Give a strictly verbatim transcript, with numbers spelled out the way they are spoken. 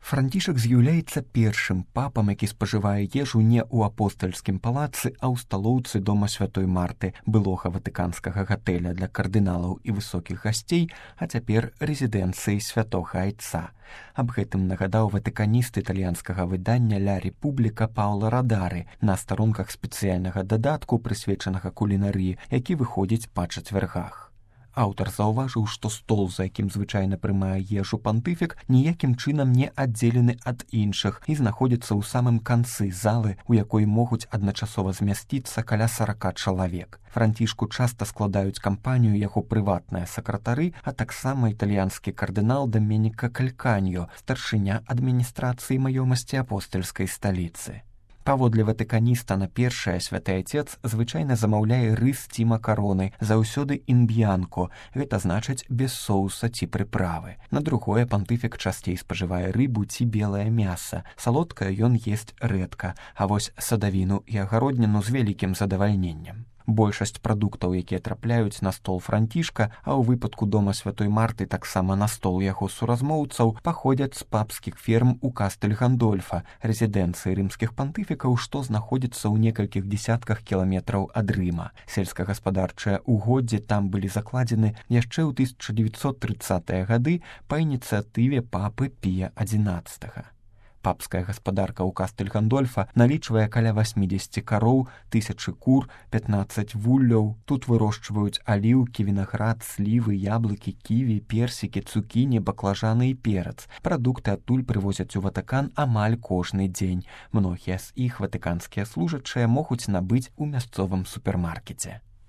Францішак з'яўляецца першым папам, які спажывае ежу не ў апостальскім палацы, а ў сталоўцы дома святой Марты, былога ватыканскага гатэля для кардыналаў і высокіх гасцей, а цяпер рэзідэнцыі святога айца. Аб гэтым нагадаў ватыканіст італьянскага выдання «Ля Републіка» Паўла Радары на старонках спецыяльнага дадатку, прысвечанага кулінарыі, які выходзіць па чацвяргах. Аўтар заўважыў, што стол, за якім звычайна прымае ежу пантыфік, ніякім чынам не аддзелены ад іншых і знаходзіцца ў самым канцы залы, у якой могуць адначасова змясціцца каля сарака чалавек. Францішку часта складаюць кампанію яго прыватныя сакратары, а таксама італьянскі кардынал Даменіка Кальканьо, старшыня адміністрацыі маёмасці апостальскай сталіцы. Паводле ватыканіста на першае святы айцец звычайна замаўляе рыс ці макароны, заўсёды інб'янко, гэта значыць без соуса ці прыправы. На другое пантыфік часцей спажывае рыбу ці белае мяса. Салодкае ён есць рэдка, а вось садавіну і агародніну з вялікім задавальненнем. Большасць прадуктаў, якія трапляюць на стол Францішка, а ў выпадку дома святой Марты таксама на стол яго суразмоўцаў, паходзяць з папскіх ферм у Кастэль-Гандольфа, рэзідэнцыі рымскіх пантыфікаў, што знаходзіцца ў некалькіх дзесятках кіламетраў ад Рыма. Сельскагаспадарчыя угоддзі там былі закладзены яшчэ ў тысяча дзевяцьсот трыццатыя гады па ініцыятыве папы Пія адзінаццатага. Папская гаспадарка ў Кастэль-Гандольфа налічвае каля васьмідзесяці кароў, тысячы кур, пятнаццаць вулляў. Тут вырошчваюць аліўкі, вінаград, слівы, яблыкі, ківі, персікі, цукіні, баклажаны і перац. Прадукты адтуль прывозяць у Ватыкан амаль кожны дзень. Многія з іх ватыканскія служачыя могуць набыць у мясцовым супермаркеце.